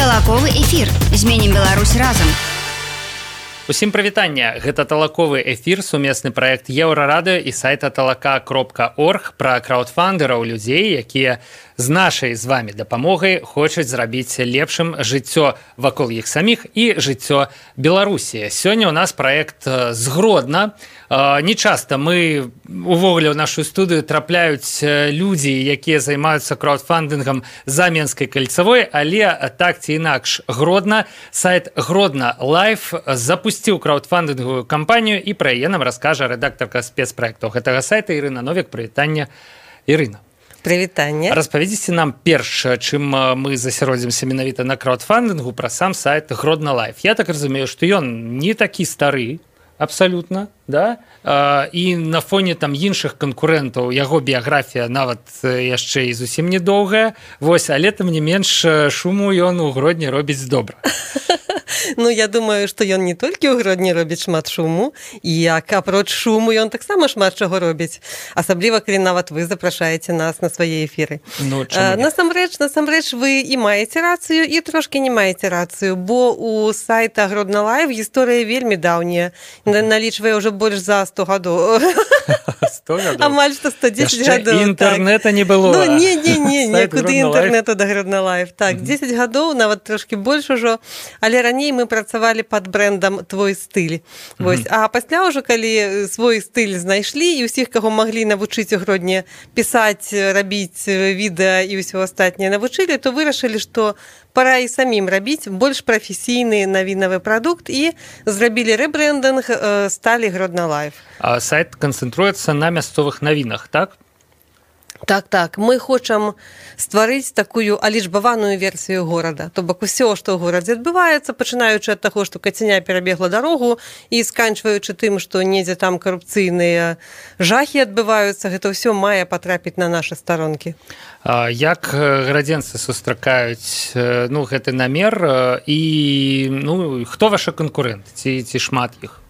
Талаковы эфір. Зменім Беларусь разам. Усім прывітання. Гэта талаковы эфір, сумесны праект Еўрарадыё і сайта talaka.org пра краўдфандераў, людзей, якія з нашай з вами дапамогай хочуць зрабіць лепшым жыццё вакол іх саміх і жыццё Беларусі. Сёння ў нас праект з Гродна. Не часта мы увогуле ў нашу студыю трапляюць людзі, якія займаюцца краўдфандынгам за Менскай кальцавой, але так ці інакш Гродна, сайт Гродна Лайф запусціў краўдфандынгавую кампанію, і пра яе нам раскажа рэдактарка спецпраектаў гэтага сайта Ірына Новік. Прывітанне, Ірына. Прывітанне. Распавядзіце нам перш, чым мы засяродзімся менавіта на краўдфандынгу, пра сам сайт Гродна Лайф. Я так разумею, што ён не такі стары, абсалютна, да? І на фоне там іншых канкурэнтаў яго біяграфія нават яшчэ і зусім недоўгая. Вось, але тым не менш шуму ён у Гродні робіць добра. Ну, я думаю, што ён не толькі ў Гродні робіць шмат шуму, і як апроч шуму ён таксама шмат чаго робіць. Асабліва, калі нават вы запрашаеце нас на свае эфіры. Ну, насамрэч, вы і маеце рацыю, і трошкі не маеце рацыю, бо у сайта Гродна Лайф гісторыя вельмі даўняя, налічвае ўжо больш за 100 гадоў. 100 гадоў? Амаль што 110 гадоў. Яшчэ інтэрнэта не было. Ну, некуды інтэрнэту да Гродна Лайф. Так, 10 гадоў, нават трошкі больш ужо, але раней мы працавалі пад брэндам «Твой стыль». Вось. А пасля ўжо, калі свой стыль знайшлі, і ўсіх, каго маглі навучыць у Гродні пісаць, рабіць відэа і ўсё астатняе навучылі, то вырашылі, што пора і самім рабіць больш прафесійны навінавы прадукт, і зрабілі рэбрэндынг, сталі Гродна Лайф. А сайт канцэнтруецца на мясцовых навінах, так? Так, мы хочам стварыць такую алічбаваную версію горада. То бок усё, што ў горадзе адбываецца, пачынаючы ад таго, што кацяня перабегла дарогу, і сканчваючы тым, што недзе там карупцыйныя жахі адбываюцца, гэта ўсё мае патрапіць на нашы старонкі. Як градзенцы сустракаюць гэты намер, і хто ваша канкурэнт, ці шмат іх?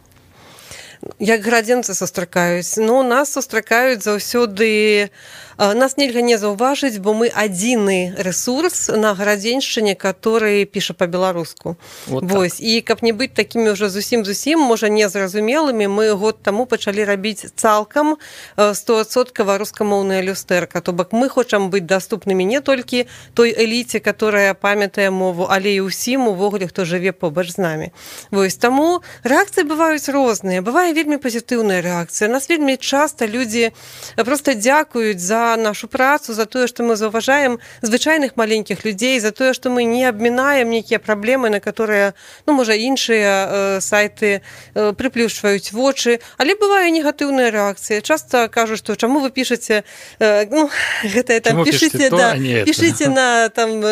Як градзенцы сустракаюць? Нас сустракаюць заўсёды. Нас нельга не заўважыць, бо мы адзіны рэсурс на гарадзеншчыне, который піша па-беларуску. Вось. І каб не быць такімі ўжо зусім, можа, незразумелымі, мы год таму пачалі рабіць цалкам 100% рускамоўная люстэрка. То бок мы хочам быць даступнымі не толькі той эліце, которая памятае мову, але і ўсім увогуле, хто жыве побач з намі. Вось. Таму рэакцыі бываюць розныя. Бывае вельмі пазітыўная рэакцыя. Нас вельмі часта людзі проста дзякуюць за нашу працу, за тое, што мы заўважаем звычайных маленькіх людзей, за тое, што мы не абмінаем нейкія праблемы, на которые, можа, іншыя сайты прыплюшваюць вочы, але бывае негатыўная рэакцыя. Часта кажуць, што чаму вы пішаце, гэтае там пішыце на там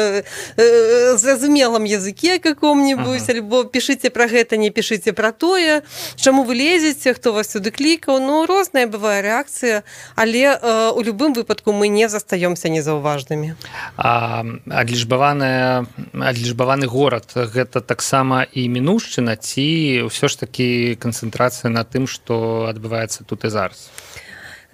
зразумелым языке каком-нибудь, альбо пішыце пра гэта, не пішыце пра тое, чаму вы лезеце, хто вас сюды клікаў. Розная бывае рэакцыя, але у любым выпадку мы не застаёмся незаўважнымі. Адлічбаваны горад — гэта таксама і мінуўшчына, ці ўсё ж такі канцэнтрацыя на тым, што адбываецца тут і зараз?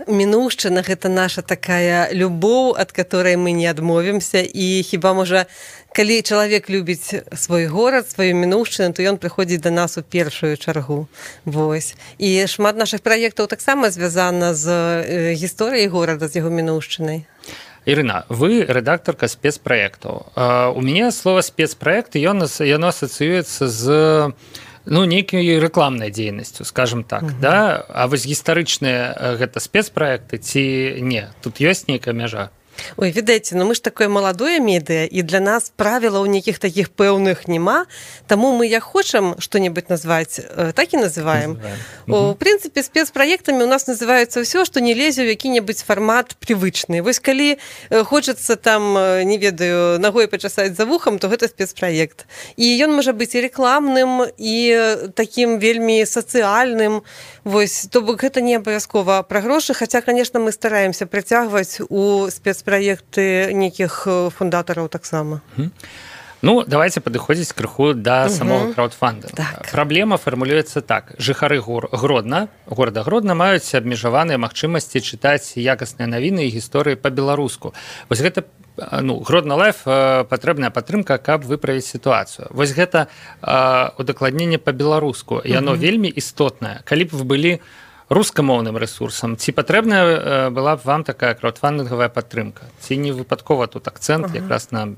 Мінуўшчына — гэта наша такая любоў, ад которой мы не адмовімся, і хіба, можа, калі чалавек любіць свой горад, сваю мінуўшчыну, то ён прыходзіць да нас у першую чаргу. Вось. І шмат нашых праектаў таксама звязана з гісторыяй горада, з яго мінуўшчынай. Ірына, вы рэдактарка спецпраектаў. У мяне слова спецпраект, яно асацыюецца з нейкай рэкламнай дзейнасцю, скажем так, да? А вось гістарычныя гэта спецпраекты ці не? Тут ёсць нейкая мяжа? Ой, відаеце, мы ж такое маладое медыа, і для нас правілаў нейкіх такіх пэўных няма, таму мы як хочам што-небудзь назваць, так і называем. У прынцыпе, спецпраектамі у нас называецца ўсё, што не лезе ў які-небудзь фармат прывычны. Вось калі хочацца там, не ведаю, нагой пачасаць за вухам, то гэта спецпраект. І ён можа быць і рэкламным, і такім вельмі сацыяльным. Вось, то бок гэта не абавязкова пра грошы, хаця, конечно, мы стараемся прыцягваць у спецпраекты нейкіх фундатараў таксама. Давайте падыходзіць крыху да самого краудфандынгу. Праблема фармулюецца так. Жыхары горада Гродна маюць абмежаваныя магчымасці чытаць якасныя навіны і гісторыі па-беларуску. Вось гэта Гродно Лайф патрэбная падтрымка, каб выправіць сітуацыю. Вось гэта удакладненне па-беларуску. Яно вельмі істотнае. Калі б вы былі рускамоўным рэсурсам, ці патрэбная была б вам такая краудфандынгавая падтрымка? Ці не выпадкова тут акцэнт якраз на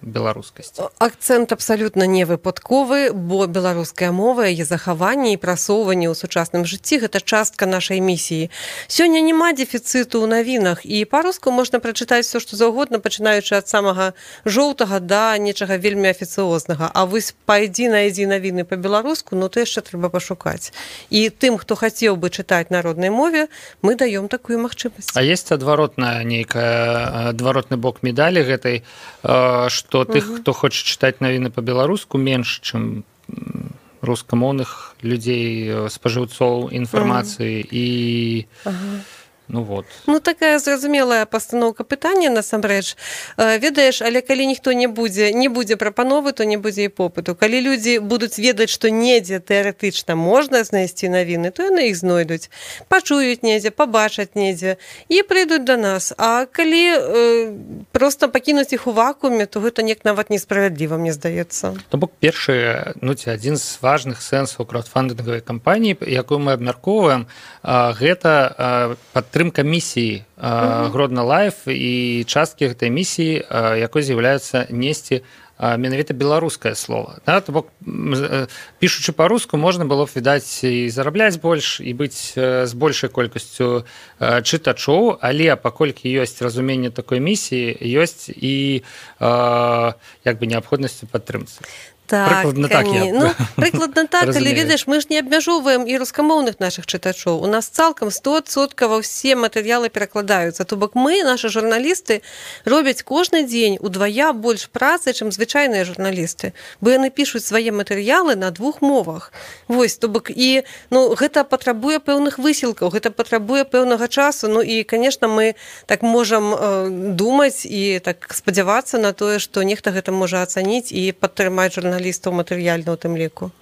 беларускасць? Акцэнт абсалютна не выпадковы, бо беларуская мова, яе захаванне і прасоўванне ў сучасным жыцці гэта частка нашай місіі. Сёння няма дэфіцыту ў навінах, і па-руску можна прачытаць все, што заўгодна, пачынаючы ад самага жоўтага да нечага вельмі афіцыознага. А вось найдзі навіны па-беларуску, то яшчэ трэба пашукаць. І тым, хто хацеў бы чытаць на роднай мове, мы даём такую магчымасць. А есть адваротны бок медалі гэтай, што тых, хто хоча чытаць навіны па-беларуску, менш, чым рускамоўных людзей, спажыўцоў інфармацыі і... такая зразумелая пастаноўка пытання насамрэч. Ведаеш, але калі ніхто не будзе прапановы, то не будзе і попыту. Калі людзі будуць ведаць, што недзе тэарэтычна можна знайсці навіны, то яны іх знойдуць. Пачуюць недзе, пабачаць недзе і прыйдуць да нас. А калі проста пакінуць іх у вакууме, то гэта неяк нават несправядліва, мне здаецца. То бок першы, адзін з важных сэнсаў краудфандынгавай кампаніі, якую мы абмяркоўваем, гэта падтрымка місіі Гродно Лайф і часткі гэтай місіі, якой з'яўляецца несці менавіта беларускае слова. То бок, пішучы па-руску, можна было б, відаць, і зарабляць больш, і быць з большай колькасцю чытачоў, але паколькі ёсць разуменне такой місіі, ёсць і неабходнасць у падтрымцы. Прыкладна так, але ведаеш, мы ж не абмяжоўваем і рускамоўных нашых чытачоў. У нас цалкам 100% ўсе матэрыялы перакладаюцца. То бок мы, нашы журналісты, робяць кожны дзень удвая больш працы, чым звычайныя журналісты. Бо яны пішуць свае матэрыялы на 2 мовах. Вось, то бок і гэта патрабуе пэўных высілкаў, гэта патрабуе пэўнага часу. І, конечно, мы так можам думаць і так спадзявацца на тое, што нехта гэта можа ацаніць і падтрымаць журналістаў матэрыяльна ў тым ліку.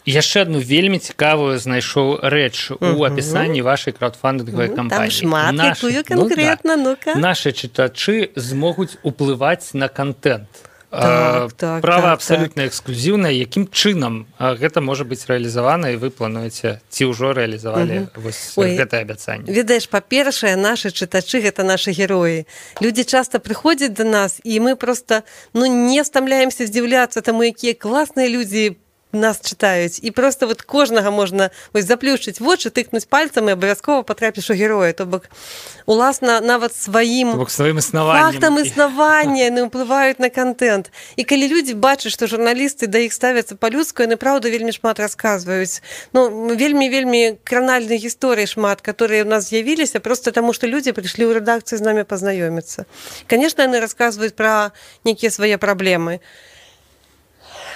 Яшчэ адну вельмі цікавую знайшоў рэч у апісанні вашай краудфандынгавай кампаніі. Там шмат, якую канкрэтна, ну-ка. Нашы чытачы змогуць уплываць на контент. Права абсалютна эксклюзіўнае. Якім чынам гэта можа быць рэалізавана, і вы плануеце, ці ўжо рэалізавалі гэтае абяцанне? Ведаеш, па-першае, нашы чытачы гэта нашы героі. Людзі часта прыходзяць да нас, і мы проста не стамляемся здзіўляцца таму, якія класныя людзі нас чытаюць. І проста кожнага можна заплюшчыць вочы, тыкнуць пальцам і абавязкова патрапіш у героя. То бок, уласна, нават сваім фактам існавання яны ўплываюць на контент. І калі людзі бачаць, што журналісты да іх ставяцца па-людску, яны, праўда, вельмі шмат расказваюць. Вельмі кранальных гісторый шмат, которые у нас з'явіліся, проста таму, што людзі прыйшлі ў рэдакцыю з намі пазнаёміцца. Канешне, яны расказваюць пра нейкія свае праблемы.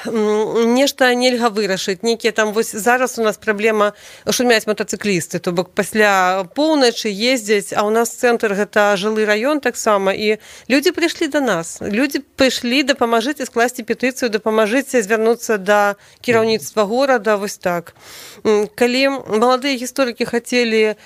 Нешта нельга вырашыць, нейкія там, вось зараз у нас праблема шумяць матацыклісты, то бок пасля поўначы ездзяць, а ў нас цэнтр гэта жылы раён таксама, і людзі прыйшлі да нас. Людзі прыйшлі, дапамажыце скласці петыцыю, дапамажыце звярнуцца да кіраўніцтва горада, вось так. Калі маладыя гісторыкі хацелі,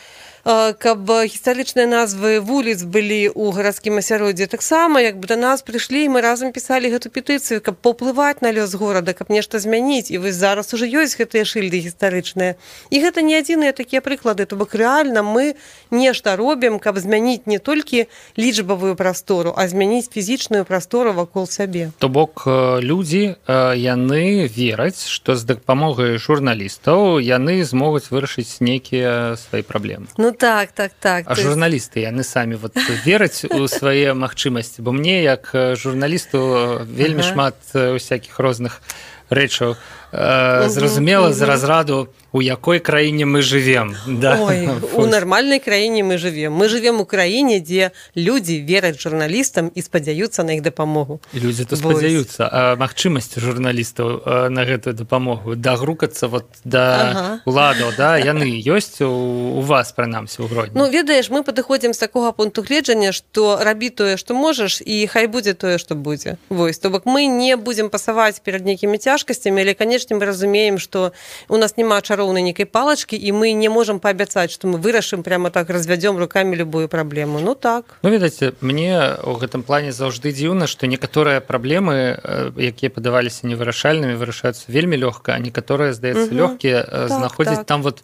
каб гістарычныя назвы вуліц былі ў гарадскім асяроддзі, таксама да нас прыйшлі, і мы разам пісалі гэту петыцыю, каб паўплываць на лёс горада, каб нешта змяніць. І вось зараз ужо ёсць гэтыя шыльды гістарычныя. І гэта не адзіныя такія прыклады. То бок рэальна мы нешта робім, каб змяніць не толькі лічбавую прастору, а змяніць фізічную прастору вакол сябе. То бок людзі, яны вераць, што з дапамогай журналістаў яны змогуць вырашыць нейкія свае праблемы. Так. А журналісты, яны самі вераць у свае магчымасці, бо мне, як журналісту, вельмі шмат усякіх розных рэчаў зразумела з разраду, у якой краіне мы жывем. Ой, у нармальнай краіне мы жывем. Мы жывем у краіне, дзе людзі вераць журналістам і спадзяюцца на іх дапамогу. І людзі то спадзяюцца. А магчымасці журналістаў на гэтую дапамогу дагрукацца да уладаў, яны ёсць у вас, прынамсі, у Гродні? Ведаеш, мы падыходзім з такога пункту гледжання, што рабі тое, што можаш, і хай будзе тое, што будзе. Вось, то бок мы не будзем пасаваць перад нейкімі цяжкасцямі, але, канешне, мы разумеем, што у нас няма чароўнай нейкай палачкі, і мы не можам паабяцаць, што мы вырашым прямо так, развядзём рукамі любую праблему. Ну так. Ну, відаць, мне ў гэтым плане заўжды дзіўна, што некаторыя праблемы, якія падаваліся невырашальнымі, вырашаюцца вельмі лёгка, а некаторыя, здаецца, лёгкія, знаходзяць там вот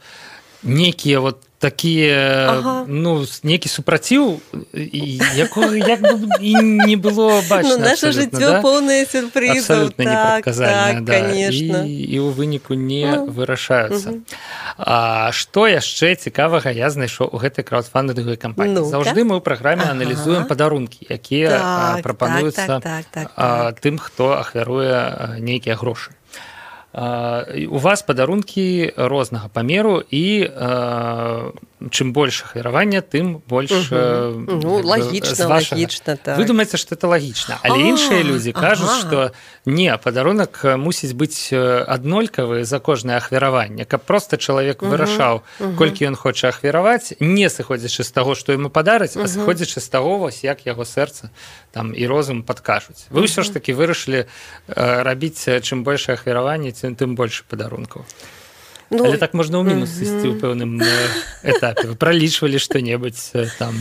некія вот такія, ну, некі супраціў, якога як бы і не было бачна. Ну, наша жыццё поўнае сюрпрызаў. Абсалютна непрадказальна, да. Конечно. І ў выніку не вырашаюцца. А што яшчэ цікавага я знайшоў у гэтай краўдфандынгавай кампаніі? Заўжды мы ў праграме аналізуем падарункі, якія прапануюцца тым, хто ахвяруе нейкія грошы. У вас падарункі рознага памеру, і чым больш ахвяравання, тым больш лагічна, так. Вы думаеце, што это лагічна, але іншыя людзі кажуць, што не, падарунак мусіць быць аднолькавы за кожнае ахвяраванне, каб проста чалавек вырашаў, колькі ён хоча ахвяраваць, не сыходзячы з таго, што яму падараць, а сыходзячы з таго, вось як яго сэрца там і розум падкажуць. Вы ўсё ж такі вырашылі рабіць чым большае ахвяраванне, тым больше падарункаў. Ну, але так можна ў мінус ісці ў пэўным этапе. Вы пралічвалі што-небудзь там.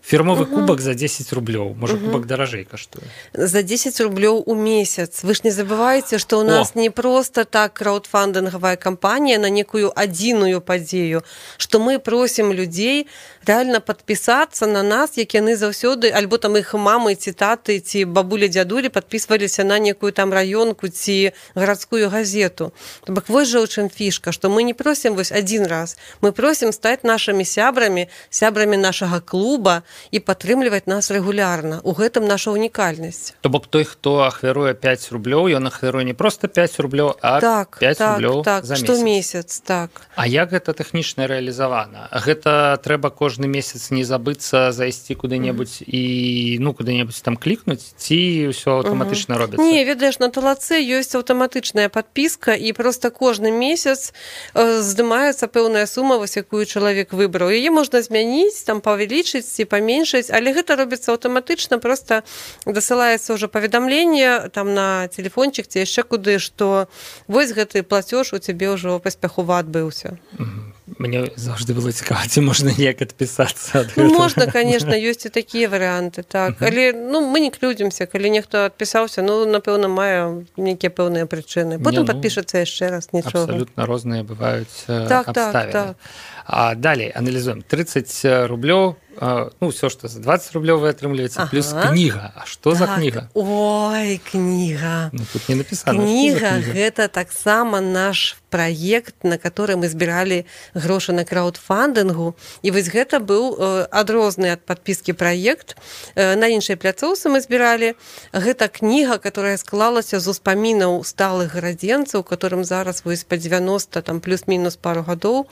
Фірмовы кубак за 10 рублёў. Можа, кубак даражэй каштуе. За 10 рублёў у месяц. Вы ж не забывайце, што ў нас не проста так краўдфандынгавая кампанія на некую адзіную падзею, што мы просім людзей рэальна падпісацца на нас, як яны заўсёды, альбо там іх мамы, ці таты, ці бабулі-дзядулі падпісваліся на некую там раёнку ці гарадскую газету. То бок вось жа ў чым фішка, што мы не просім вось адзін раз, мы просім стаць нашымі сябрамі нашага клуба і падтрымліваць нас рэгулярна. У гэтым наша унікальнасць. То бок той, хто ахвяруе 5 рублёў, ён ахвяруе не проста 5 рублёў, а 5 рублёў за месяц. Штомесяц, так. А як гэта тэхнічна рэалізавана? Гэта трэба кожны месяц не забыцца зайсці куды-небудзь і куды-небудзь там клікнуць, ці ўсё аўтаматычна робіцца? Не, ведаеш, на талаце ёсць аўтаматычная падпіска, і проста кожны месяц здымаецца пэўная сума, вось якую чалавек выбраў. Яе можна змяніць, там павялічыць ці паменшыць, але гэта робіцца аўтаматычна, проста дасылаецца ўжо паведамленне там на телефончик ці яшчэ куды, што вось гэты плацёж у цябе ўжо паспяхова адбыўся. Мне заўжды было цікава, ці можна неяк адпісацца ад гэтага? Можна, конечно, ёсць і такія варыянты, так. Але мы не клюдзімся, калі нехта адпісаўся, напэўна, мае нейкія пэўныя прычыны. Потым падпішацца яшчэ раз, нічога. Абсалютна розныя бываюць абставіны. А далей аналізуем. 30 рублёў, ўсё, што за 20 рублёў вы атрымліваеце, плюс кніга. А што за кніга? Ой, кніга. Тут не напісана. Кніга – гэта таксама наш праект, на который мы збіралі грошы на краўдфандынгу. І вось гэта быў адрозны ад падпіскі праект. На іншай пляцоўцы мы збіралі. Гэта кніга, которая склалася з успамінаў сталых гарадзенцаў, которым зараз вось па 90, там плюс-мінус пару гадоў.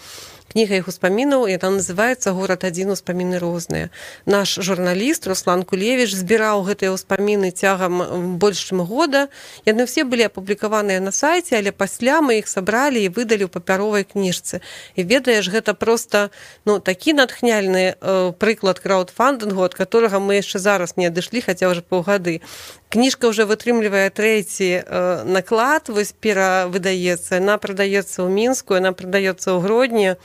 Кніга іх успамінаў, яна называецца «Горад адзін. Успаміны розныя». Наш журналіст Руслан Кулевіч збіраў гэтыя ўспаміны цягам больш чым года. Яны ўсе былі апублікаваныя на сайце, але пасля мы іх сабралі і выдалі ў папяровай кніжцы. І ведаеш, гэта проста такі натхняльны прыклад краўдфандынгу, ад которага мы яшчэ зараз не адышлі, хаця ўжо паўгады. Кніжка ўжо вытрымлівае 3 наклад, вось перавыдаецца, яна прадаецца ў Мінску, яна прадаецца ў Гродні.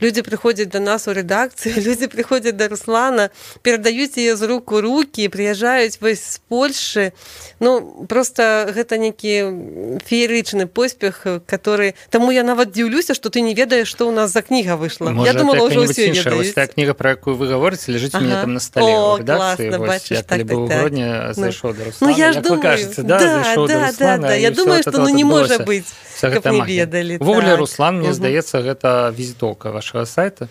Людзі прыходзяць да нас у рэдакцыю, людзі прыходзяць да Руслана, перадаюць яе з рук у рукі, прыязджаюць вось з Польшы. Проста гэта нейкі феерычны поспех, который... Таму я нават дзіўлюся, што ты не ведаеш, што ў нас за кніга выйшла. Я думала, ўжо ўсё ведаюць. Вось тая кніга, пра якую вы гаворыце, ляжыць у мяне там на стале ў рэдакцыі. Я калі быў у Гродні, зайшоў да Руслана. Як вы кажаце, зайшоў да Руслана. Я думаю, што не можа быць, каб не ведалі. Ввогуле, Руслан, мне здаецца, гэта візітоўка вашага сайта.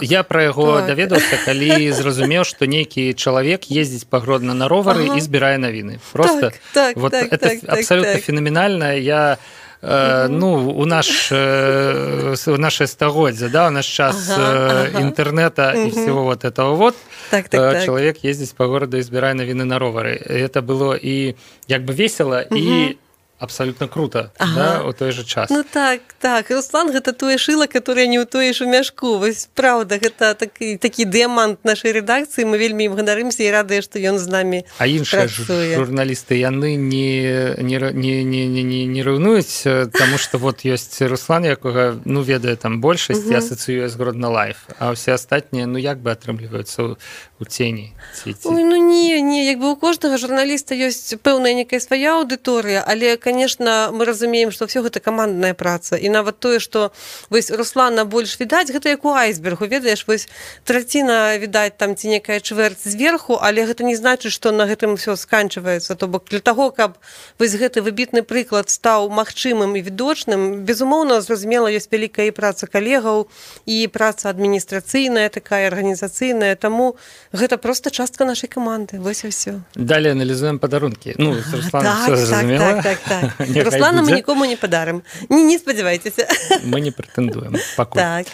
Я пра яго даведаўся, калі зразумеў, што нейкі чалавек ездзіць па Гродна на ровары і збірае навіны. Просто это абсолютно феноменальна. Я у наше стагоддзе, у наш час інтэрнета і всего вот этого вот, чалавек ездзіць па гораду і збірае навіны на ровары. Это было і як бы весело, і абсолютно круто, да, у той же час. Ну так, Руслан гэта тое шыла, которое не ўтоіш у мяшку. Вось правда, гэта такі дыямант нашай рэдакцыі, мы вельмі ім ганарымся і радыя, што ён з намі працуе. А іншыя журналісты, яны не раўнуюць, таму што вот ёсць Руслан, якога, ну, ведае там большасць, асацыюе з Гродно Лайф, а ўсе астатнія, ну, як бы атрымліваюцца у цені? Ой, ну не, як бы у кожнага журналіста ёсць пэўная некая свая аўдыторыя, але, конечно, мы разумеем, што ўсё гэта камандная праца. І нават тое, што вось Руслана больш відаць, гэта як у айсбергу, ведаеш, вось траціна відаць там ці некая чвэрць зверху, але гэта не значыць, што на гэтым ўсё сканчваецца. То бок для таго, каб вось гэты выбітны прыклад стаў магчымым і відочным, безумоўна, зразумела, ёсць вялікая праца калегаў і праца адміністрацыйная, такая арганізацыйная, таму гэта проста частка нашай каманды. Вось і ўсё. Далее аналізуем падарункі. Ну, з Русланом всё зразумела. Так. Руслана мы нікому не падарым. Не спадзявайцеся. Мы не прэтэндуем пакуль. Так.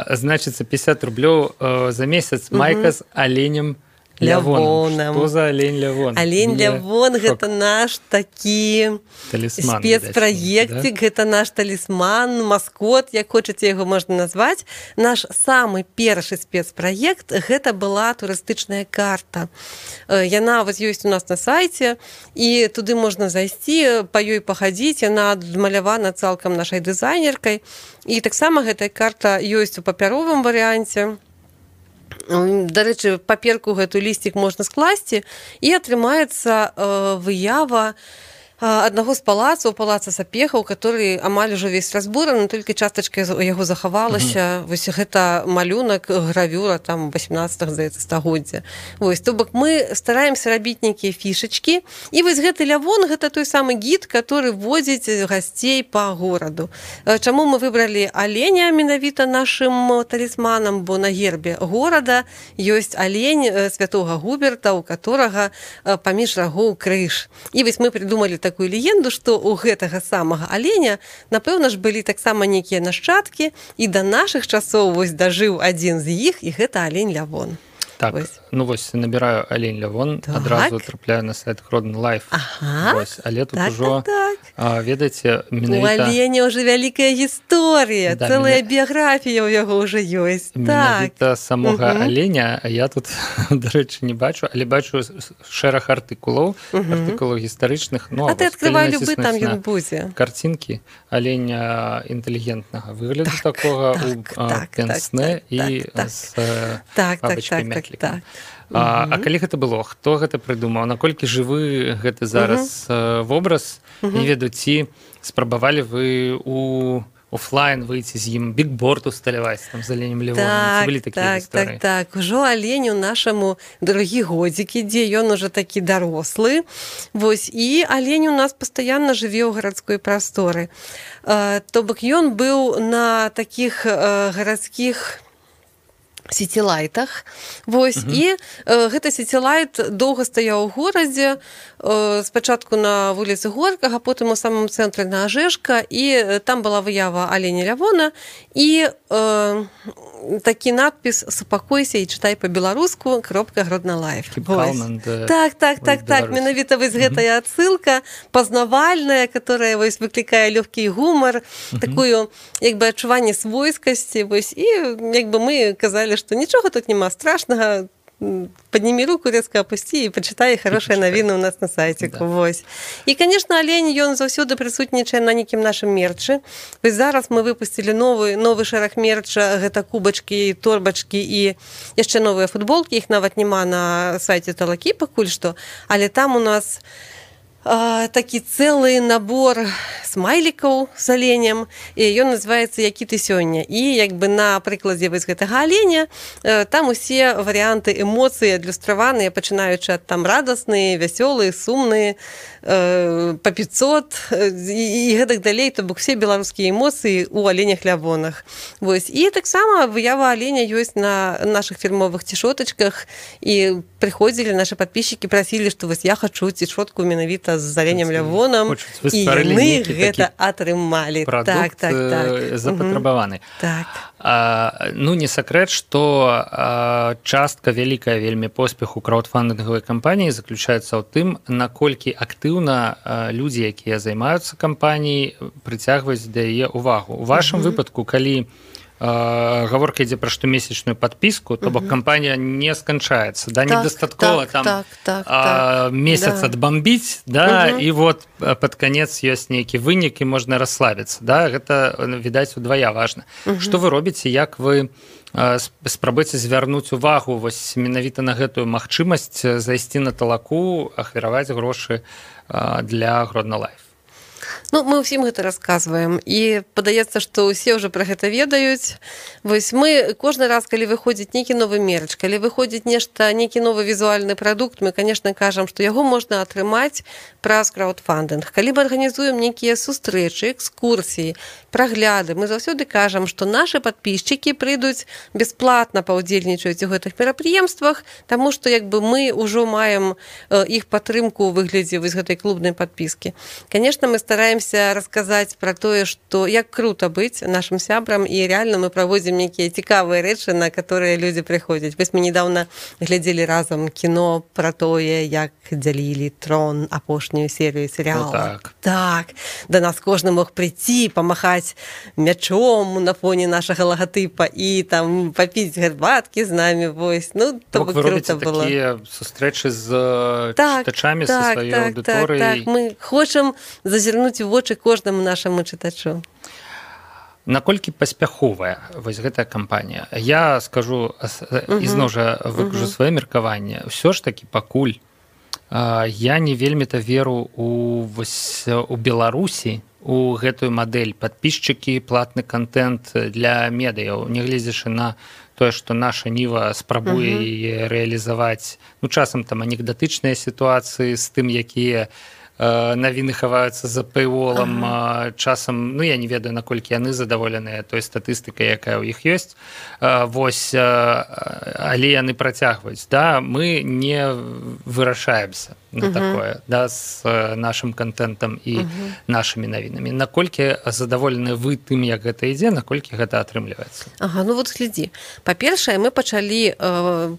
Значыцца 50 рублёў за месяц майка з аленем Лявоном. Што за алень Лявон? Алень Лявон – гэта наш такі спецпраектик, гэта наш талісман, маскот, як хочаце яго можна назваць. Наш самы першы спецпраект – гэта была турыстычная карта. Яна вось ёсць у нас на сайце, і туды можна зайсці, па ёй пахадзіць, яна адмалявана цалкам нашай дызайнеркай. І таксама гэтая карта ёсць у папяровым варыянце. Дарэчы, паперку гэту лісцік можна скласці, і атрымаецца выява аднаго з палацаў, палаца Сапехаў, который амаль ужо весь разбураны, толькі частачка яго захавалася. Вось гэта малюнак, гравюра там 18-х, здаецца, стагоддзя. Вось, то бок мы стараемся рабіць нейкія фішачкі, і вось гэты Лявон, гэта той самы гід, который водзіць гасцей па гораду. Чаму мы выбралі аленя менавіта нашым талісманам, бо на гербе горада ёсць алень святога Губерта, у которага паміж рагоў крыж. І вось мы придумалі такую легенду, што у гэтага самага аленя, напэўна ж, былі таксама нейкія нашчадкі, і да нашых часоў вось дажыў адзін з іх, і гэта алень Лявон. Так, вось. Ну вось набіраю алень Лявон, адразу трапляю на сайт Гродно Лайф. Вось, але тут ужо, ведаеце, менавіта... У аленя ўжо вялікая гісторыя, цэлая біяграфія ў яго ўжо ёсць. Менавіта самога аленя, я тут, дарэчы, не бачу, але бачу шэраг артыкулаў гістарычных. А ты адкрывай любы, там ён будзе. Карцінкі аленя інтэлігентнага выгляду такога у пенсне і з бабачкай мятлікам. А калі гэта было? Хто гэта прыдумаў? Наколькі жывы гэты зараз вобраз? Не ведаю, ці спрабавалі вы у офлайн выйти з ім, бікборд усталяваць там з аленем Лявоном? Ці былі такія гісторыі? Так. Ужо аленю нашаму другі годзік ідзе, ён ужо такі дарослы. Вось, і алень у нас пастаянна жыве ў гарадской прасторы. То бок ён быў на такіх гарадскіх сетилайтах. Вось, і гэта сетилайт доўга стаяў у горадзе, спачатку на вуліцы Горкага, потым у самым цэнтры на Ажэшка, і там была выява аленя Лявона, і такі надпіс «Супакойся і чытай па-беларуску, Гродно Лайф». Так, менавіта вось гэтая адсылка пазнавальная, которая вось выклікае лёгкі гумар, такую, як бы, адчуванне свойскасці, вось, і як бы мы казалі, што нічога тут няма страшнага, подними руку, резко опусти і почитай хорошие навіны у нас на сайціку. Вось. І, конечно, алень, ён заўсёды прысутнічае на нейкім нашым мерчы. Вось зараз мы выпусцілі новы шэраг мерча, гэта кубачкі, торбачкі і яшчэ новыя футболкі, іх нават няма на сайце Талакі пакуль што, але там у нас такі цэлы набор смайлікаў з аленем, і ён называецца «Які ты сёння». І як бы на прыкладзе вось гэтага аленя там усе варыянты эмоцый адлюстраваныя, пачынаючы ад там радасныя, вясёлыя, сумныя, па 500 і гэтак далей, то бок усе беларускія эмоцыі ў аленях Лявонах. Вось. І таксама выява аленя ёсць на нашых фірмовых цішотачках, і прыходзілі нашы падпісчыкі, прасілі, што вось я хачу цішотку менавіта з аленем Лявоном, і яны гэта атрымалі. Прадукт запатрабаваны. Так. Ну, не сакрэт, што частка вялікая вельмі поспеху краўдфандынгавай кампаніі заключаецца ў тым, наколькі актыўна людзі, якія займаюцца кампаніяй, прыцягваюць да яе ўвагу. У вашым выпадку, калі гаворка ідзе пра штомесячную падпіску, то бок кампанія не сканчаецца, да, недастаткова там месяц адбамбіць, да, і вот пад канец ёсць нейкі вынік і можна расслабіцца, да, гэта, відаць, удвая важна. Што вы робіце, як вы спрабуеце звярнуць увагу вось менавіта на гэтую магчымасць зайсці на талаку, ахвяраваць грошы для Гродно Лайф? Ну, мы ўсім гэта расказваем, і падаецца, што ўсе ўжо пра гэта ведаюць. Вось мы кожны раз, калі выходзіць нейкі новы мерч, калі выходзіць нешта, нейкі новы візуальны прадукт, мы, конечно, кажам, што яго можна атрымаць праз краўдфандынг. Калі мы арганізуем нейкія сустрэчы, экскурсіі, прагляды, мы заўсёды кажам, што нашы падпісчыкі прыйдуць бясплатна паўдзельнічаюць у гэтых мерапрыемствах, таму што як бы мы ўжо маем іх падтрымку ў выглядзе вось гэтай клубнай падпіскі. Конечно, мы стараемся расказаць пра тое, што як крута быць нашым сябрам, і реально мы праводзім нейкія цікавыя рэчы, на которые людзі прыходзяць. Вось мы недавно глядзелі разам кіно пра тое, як дзялілі трон, апошнюю серыю серыяла. Так, да нас кожны мог прыйти, памахаць мячом на фоне нашага лагатыпа і там папіць гарбаткі з намі. Вось. Ну, то бы круто было. Вы робіце такія сустрэчы з чытачамі, са сваёй аўдыторыяй. Так, мы хочам зазірнуць у вочы кожнаму нашаму чытачу. Наколькі паспяховая вось гэтая кампанія? Я скажу, ізноў жа выкажу сваё меркаванне. Усё ж такі пакуль я не вельмі-то веру у Беларусі, у гэтую мадэль падпісчыкі, платны контент для медыяў, нягледзячы на тое, што наша Ніва спрабуе яе рэалізаваць. Ну, часам там анекдатычныя сітуацыі з тым, якія навіны хаваюцца за пэйволам, часам, ну, я не ведаю, наколькі яны задаволеныя той статыстыкай, якая ў іх ёсць, вось, але яны працягваюць, да, мы не вырашаемся на такое, да, з нашым контентам і нашымі навінамі. Наколькі задаволены вы тым, як гэта ідзе, наколькі гэта атрымліваецца? Ага, ну вот глядзі. Па-першае, мы пачалі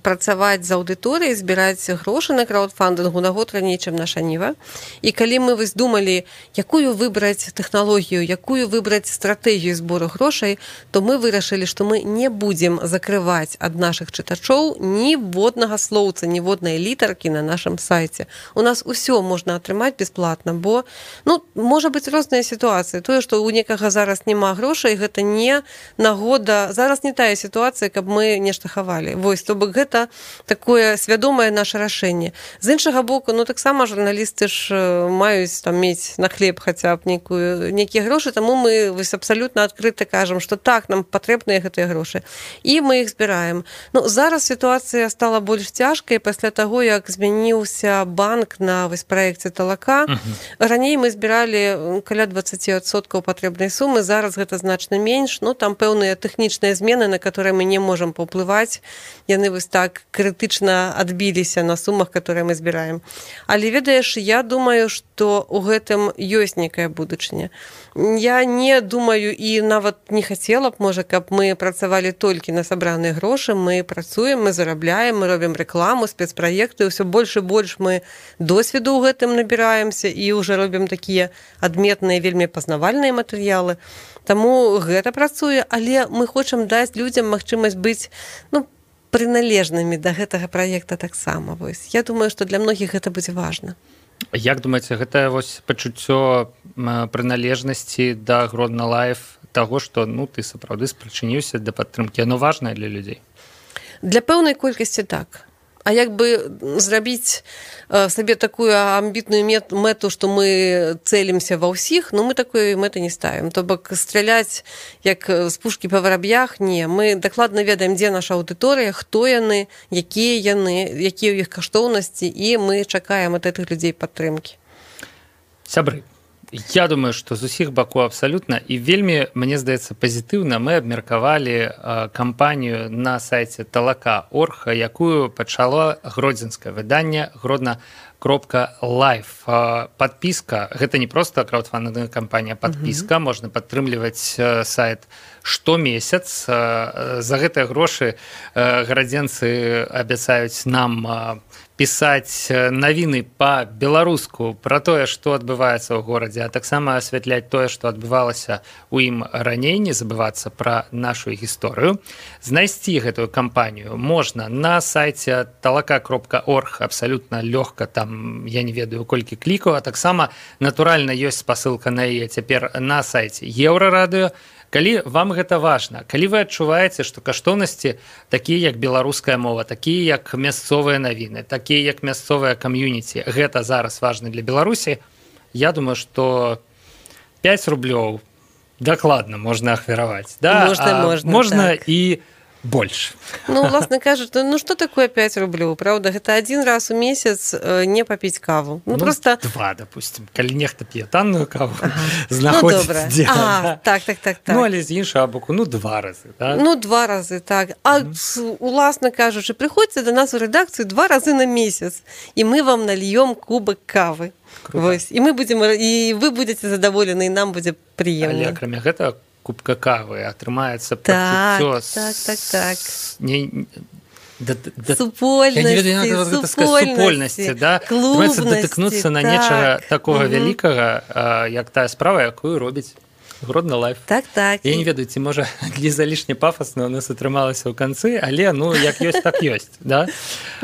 працаваць з аўдыторыяй, збіраць грошы на краўдфандынгу на год раней, чым наша Ніва. І калі мы вось думалі, якую выбраць тэхналогію, якую выбраць стратэгію збору грошай, то мы вырашылі, што мы не будзем закрываць ад нашых чытачоў ніводнага слоўца, ніводнай літаркі на нашым сайце. У нас усё можна атрымаць бясплатна, бо, ну, можа быць розныя сітуацыі. Тое, што у некага зараз няма грошай, гэта не нагода, зараз не тая сітуацыя, каб мы нешта хавалі. Вось, то бок гэта такое свядомае наше рашэнне. З іншага боку, ну, таксама журналісты ж маюць там мець на хлеб хаця б нейкія грошы, таму мы вось абсалютна адкрыта кажам, што так, нам патрэбныя гэтыя грошы. І мы іх збіраем. Ну, зараз сітуацыя стала больш цяжкай пасля таго, як змяніўся банк на вось праекце талака. Раней мы збіралі каля 20% патрэбнай сумы, зараз гэта значна менш, ну, там пэўныя тэхнічныя змены, на которые мы не можам паўплываць, яны вось так крытычна адбіліся на сумах, которые мы збіраем. Але ведаеш, я думаю, што ў гэтым ёсць некая будучыня. Я не думаю і нават не хацела б, можа, каб мы працавалі толькі на сабраныя грошы, мы працуем, мы зарабляем, мы робім рэкламу, спецпраекты, ўсё больш і больш мы досведу ў гэтым набіраемся і ўжо робім такія адметныя, вельмі пазнавальныя матэрыялы. Таму гэта працуе, але мы хочам даць людзям магчымасць быць, ну, прыналежнымі да гэтага праекта таксама. Вось. Я думаю, што для многіх гэта будзе важна. Як думаеце, гэта вось пачуццё прыналежнасці да Гродно Лайф, таго, што, ну, ты сапраўды спрычыніўся да падтрымкі, яно важнае для людзей? Для пэўнай колькасці так. А як бы зрабіць сабе такую амбітную мэту, што мы цэлімся ва ўсіх, ну мы такой мэты не ставім. То бок страляць як з пушкі па вараб'ях, не. Мы дакладна ведаем, дзе наша аўдыторыя, хто яны, якія ў іх каштоўнасці, і мы чакаем ад гэтых людзей падтрымкі. Сябры, Я думаю, што з усіх бакоў абсалютна і вельмі, мне здаецца, пазітыўна мы абмеркавалі кампанію на сайце talaka.org, якую пачало гродзенскае выданне Гродна.live. Падпіска, гэта не проста краудфандинговая кампанія, падпіска, можна падтрымліваць сайт штомесяц. За гэтыя грошы гарадзенцы абяцаюць нам пісаць навіны па-беларуску пра тое, што адбываецца ў горадзе, а таксама асвятляць тое, што адбывалася ў ім раней, не забывацца пра нашу гісторыю. Знайсці гэтую кампанію можна на сайце talaka.org, абсалютна лёгка, там я не ведаю колькі клікаў, а таксама натуральна ёсць спасылка на яе цяпер на сайце Еўрарадыё. Калі вам гэта важна, калі вы адчуваеце, што каштоўнасці такія як беларуская мова, такія як мясцовыя навіны, такія як мясцовая кам'юніці, гэта зараз важна для Беларусі, я думаю, што 5 рублёў дакладна можна ахвяраваць. Да? Можна так. І больш. Ну, власне кажучи, ну што такое 5 рублёў, правда? Гэта один раз у месяц не папіць каву. Ну, просто... 2, допустим. Калі нехта п'е танную каву, знаходзіць дзе. Так. Ну, але з іншага боку, 2 разы. Да? 2 разы, так. А, уласна кажучи, прыходзьце до нас у рэдакцыю 2 разы на месяц, і мы вам нальем кубок кавы. Вось. І вы будете задаволены, і нам будзе прыемна. Але акрамя гэтага, кубка кавы атрымаецца пачуццё супольнасці, да? Клубнасці, датыкнуцца на нечага такога вялікага, як тая справа, якую робіць Гродна Лайф. Так. Я не ведаю, ці можа залішне пафасна у нас атрымалася ў канцы, але як ёсць, так ёсць, да?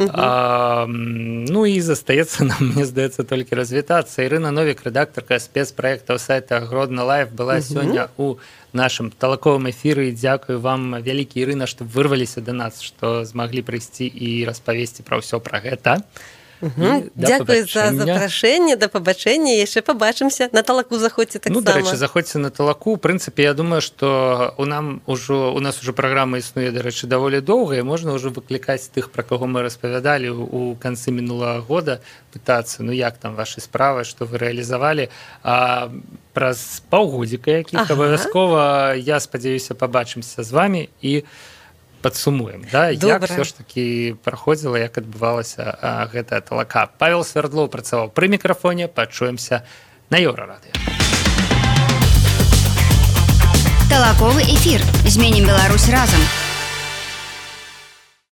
Ну і застаецца нам, мне здаецца, толькі развітацца. Ірына Новік, рэдактарка спецпраектаў сайта Гродна Лайф, была сёння у нашым талаковым эфіры. Дзякую вам вялікі, Ірына, што вырваліся да нас, што змаглі прыйсці і распавесці пра ўсё пра гэта. Дзякую за запрашэнне, да пабачэння, яшчэ пабачымся. На талаку заходзьце таксама. Ну, дарэчы, заходзьце на талаку. У прынцыпе, я думаю, што у нас ужо праграма існуе, дарэчы, даволі доўга, і можна ўжо выклікаць тых, пра каго мы распавядалі у канцы мінулага года, пытацца, як там вашы справы, што вы рэалізавалі. Праз паўгодзіка якіх абавязкова, я спадзяюся, пабачымся з вамі і падсумуем, да? Як все ж таки праходзіла, як адбывалася гэтая талака. Павел Свярдлоў працаваў пры мікрафоне, пачуемся на Еўрарадыё. Талаковы эфір. Зменім Беларусь разам.